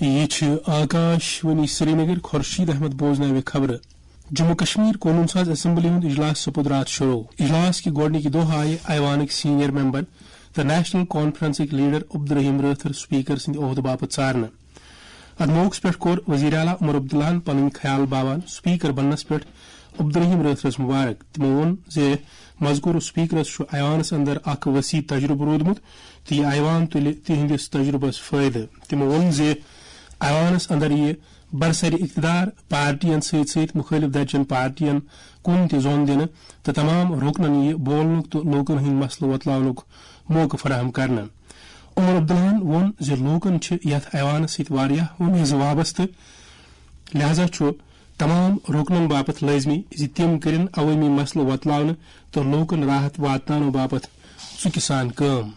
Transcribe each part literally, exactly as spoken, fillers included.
یہِ چھِ آکاش وانی سرینگر۔ خورشید احمد بوزناوِ خبرٕ۔ جموں کشمیر قونوٗن ساز اسمبلی ہُنٛد اجلاس سپُد راتھ شروع۔ اجلاس کہِ گۄڈٕنِکہِ دۄہ آیہِ ایوانٕکۍ سینئر ممبر تہٕ national کانفرنسٕکۍ leader Abdul Rahim Rather speaker سٕنٛدِ عہدٕ باپتھ ژارنہٕ۔ اتھ موقعس پٮ۪ٹھ کوٚر وزیر اعلیٰ عمر عبداللہن پنٕنۍ خیال باوان سپیکر بننس پٮ۪ٹھ عبدالرحیم رٲتھرس مبارک۔ تِمو ووٚن زِ مذکورٕ سپیکرس چھُ ایوانس اندر اکھ وسیع تجربہٕ روٗدمُت تہٕ یہِ ایوان تُلہِ تِہنٛدِس تجربس فٲیدٕ۔ تِمو ووٚن زِ ایوانس اندر یِیہِ برسر اقتدار پارٹین سۭتۍ سۭتۍ مُخٲلف درجن پارٹین کُن تہِ زۄن دِنہٕ تہٕ تمام رُکنن یِیہِ بولنُک تہٕ لوٗکن ہٕنٛدۍ مسلہٕ وۄتلاونُک موقعہٕ فراہم کرنہٕ۔ عمر عبداللہن ووٚن زِ لوٗکن چھِ یتھ ایوانس سۭتۍ واریاہ وۄمیزٕ وابستہٕ، لہذا چھُ تمام رُکنن باپتھ لٲزمی زِ تِم کٔرِن عوٲمی مسلہٕ وۄتلاونہٕ تہٕ لوٗکن راحت واتناونہٕ باپتھ ژُکہِ سان کٲم۔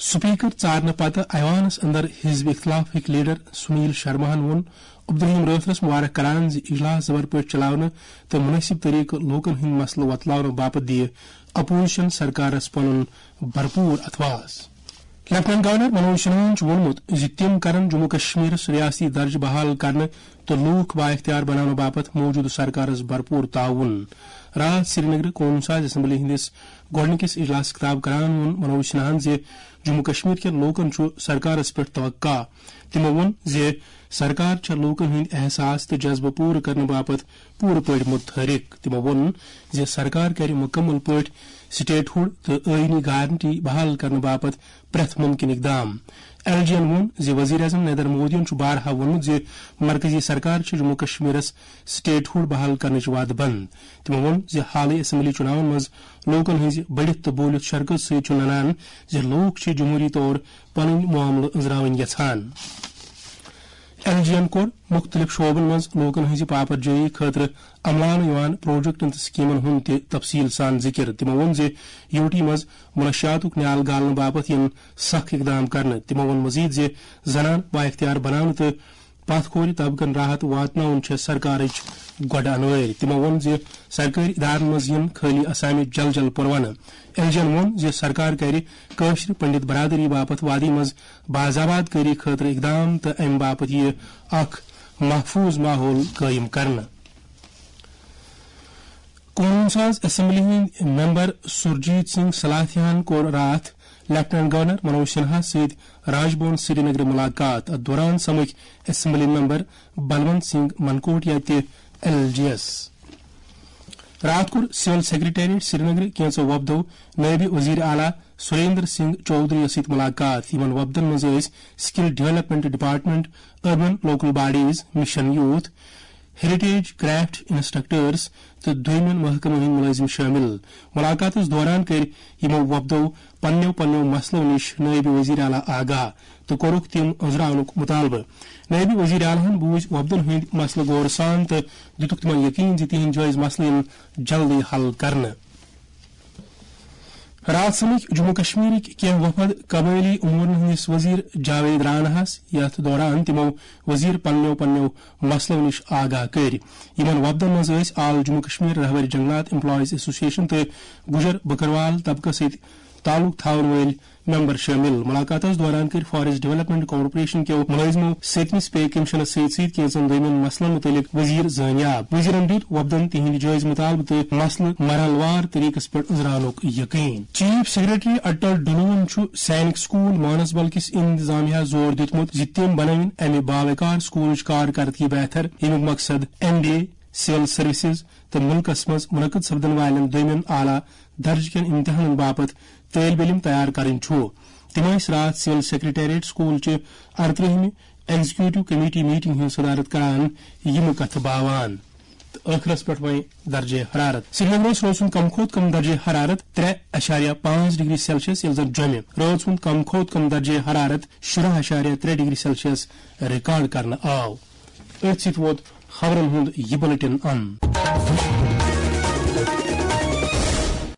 سپیکر ژارنہٕ پتہٕ ایوانس اندر حزب اختلافٕکۍ لیڈر سنیل شرماہن ووٚن عبدالرحیم رٲتھرس مبارک کران زِ اجلاس زبر پٲٹھۍ چلاونہٕ تہٕ مناسب طریقہٕ لوٗکن ہٕنٛدۍ مسلہٕ وۄتلاونہٕ باپتھ دِیہِ اپوزیشن سرکارس پنُن بھرپور اتھواس۔ لیفٹیننٹ گورنر منوج سنہاہن چھُ ووٚنمُت زِ تِم کرن جموں کشمیرس ریاستی درجہٕ بحال کرنہٕ تہٕ لوٗکھ بااختیار بناونہٕ باپتھ موجودٕ سرکارس بھرپور تعاون۔ راتھ سرینگرٕ قونوٗن ساز اسمبلی ہٕنٛدِس گۄڈٕنِکِس اجلاسس خطاب کران ووٚن منوج سنہاہن زِ جموں کشمیر کٮ۪ن لوٗکن چھُ سرکارس پٮ۪ٹھ توقع۔ تِمو ووٚن زِ سرکار چھےٚ لوٗکن ہٕنٛدۍ احساس تہٕ جذبہٕ پوٗرٕ کرنہٕ باپتھ پوٗرٕ پٲٹھۍ متحرک۔ تِمو ووٚن زِ سرکار کرِ مُکمل پٲٹھۍ سٹیٹ ہُڈ تہٕ ٲیٖنی گارنٹی بحال کرنہٕ باپتھ پرٛٮ۪تھ مُمکِن اقدام۔ ایل جی ین ووٚن زِ وزیر اعظم نریندر مودیَن چھُ بارہا ووٚنمُت زِ مرکزی سرکار چھِ جموں کشمیرس سٹیٹ ہُڈ بحال کرنٕچ وعدٕ بنٛد۔ تِمو ووٚن زِ حالٕے اسمبلی چُناون منٛز لوٗکن ہٕنٛزِ بٔڑِتھ تہٕ بوٗلِتھ شرکت سۭتۍ چھُ ننان زِ لوٗکھ چھِ جمہوٗری طور پنٕنۍ معاملہٕ أنٛزراوٕنۍ یژھان۔ ایل جی ین کوٚر مُختٔلِف شعبن منٛز لوٗکن ہٕنٛزِ پاپر جٲیی خٲطرٕ عملانہٕ یِوان پروجیکٹن تہٕ سکیمن ہُنٛد تہِ تفصیل سان ذِکِر۔ تِمو ووٚن زِ یوٗ ٹی منٛز منشیاتُک نیال گالنہٕ باپتھ یِن سخ اقدام کرنہٕ۔ تِمو ووٚن مزید زِ زنان بااختیار بناونہٕ تہٕ پتھ کھورِ طبقن راحت واتناوُن چھےٚ سرکارٕچ گۄڈٕ انوٲرۍ۔ تِمو ووٚن زِ سرکٲرۍ ادارن منٛز یِن خٲلی اسامہِ جل جل پرونہٕ۔ ایل جی ین ووٚن زِ سرکار کرِ کٲشرِ پنڈت برادری باپتھ وادی منٛز باضاباد کٲری خٲطرٕ اقدام تہٕ امہِ باپتھ یِیہِ اکھ محفوظ ماحول قٲیِم کرنہٕ۔ قونوٗن ساز اسمبلی ہٕنٛدۍ ممبر سرجیت سنگھ سلاتھیاہن کوٚر راتھ لیفٹیننٹ گورنر منوج سنہا سۭتۍ راج بھون سرینگرٕ ملاقات۔ اتھ دوران سمکھۍ اسمبلی ممبر بلونت سنگھ منکوٹیا تہِ ایل جی یس۔ راتھ کوٚر سول سیکرٹریٹ سرینگرٕ کینٛژو وفدو نٲیِب وزیر اعلیٰ سریندر سنگھ چودھری یس سۭتۍ ملاقات۔ یِمن وفدن منٛز ٲسۍ skill development department, urban local bodies, mission youth, heritage craft instructors تہٕ دوٚیمٮ۪ن محکمن ہٕنٛدۍ مُلٲزِم شٲمِل۔ مُلاقاتس دوران کٔرۍ یِمو وۄپدو پننیو پننیو مسلو نِش نٲیِب وزیر اعلیٰ آگاہ تہٕ کوٚرُکھ تِم أنٛزراونُک مُطالبہٕ۔ نٲیِب وزیر اعلیٰ ہن بوٗزۍ وۄپدن ہٕنٛدۍ مسلہٕ غورٕ سان تہٕ دِتُکھ تِمن یقین زِ تِہنٛدۍ جٲیز مسلہٕ یِن جلدی حل کرنہٕ۔ راتھ سمکھۍ جموں کشمیرٕکۍ کینٛہہ وفد قبٲئلی امورن ہٕنٛدِس وزیر جاوید راناہس، یتھ دوران تِمو وزیر پننیو پننیو مسلو نِش آگاہ کٔرۍ۔ یِمن وفدن منٛز ٲسۍ آل جموں کشمیر رہبر جنگلات ایمپلائیز ایسوسیشن تہٕ گجر بکروال طبقس سۭتۍ تعلق تھاون وٲلۍ ممبر شٲمِل۔ ملاقاتس دوران کٔرۍ فاریسٹ ڈیولپمنٹ کارپوریشن کیو مُلٲزمو ستمِس پے کمیشنس سۭتۍ سۭتۍ کینٛژن دوٚیمٮ۪ن مسلن مُتعلق وزیر زٲنیاب۔ وزیرن دیُت وفدن تِہنٛدۍ جٲیز مُطالبہٕ تہٕ مسلہٕ مرحلہٕ وار طریقس پٮ۪ٹھ أنٛزراونُک یقین۔ چیف سیکرٹری اٹل ڈلوہن چھُ سینک سکول مانسبل کِس انتظامیہ زور دیُتمُت زِ تِم بنٲوِن امہِ باوقار سکولٕچ کارکردگی بہتر، ییٚمیُک مقصد M B A, civil services تہٕ مُلکس منٛز منعقد سپدن والٮ۪ن دوٚیمٮ۪ن اعلیٰ درجہٕ کٮ۪ن امتحانن باپتھ طٲلب علم تیار کرٕنۍ چھُ۔ تِم ٲسۍ راتھ سول سیکرٹریٹ سکول چہِ ارترٕہمہِ ایگزیکیوٹیو کمیٹی میٹنگ ہٕنٛز صدارت کران یِم کتھٕ باوان۔ تہٕ ٲخرس پٮ۪ٹھ وۄنۍ درجہ حرارت۔ سرینگرس روز سُنٛد کم کھۄتہٕ کم درجہ حرارت ترٛےٚ اعشاریہ پانٛژھ ڈگری سیلسیس، ییٚلہِ زن جوٚمہِ روز سُنٛد کم کھۄتہٕ کم درجہ حرارت شُراہ اعشاریہ ترٛےٚ ڈگری سیلسیس ریکارڈ کرنہٕ آو۔ أتھۍ سۭتۍ ووت خبرن ہُنٛد یہِ بُلٹن اند۔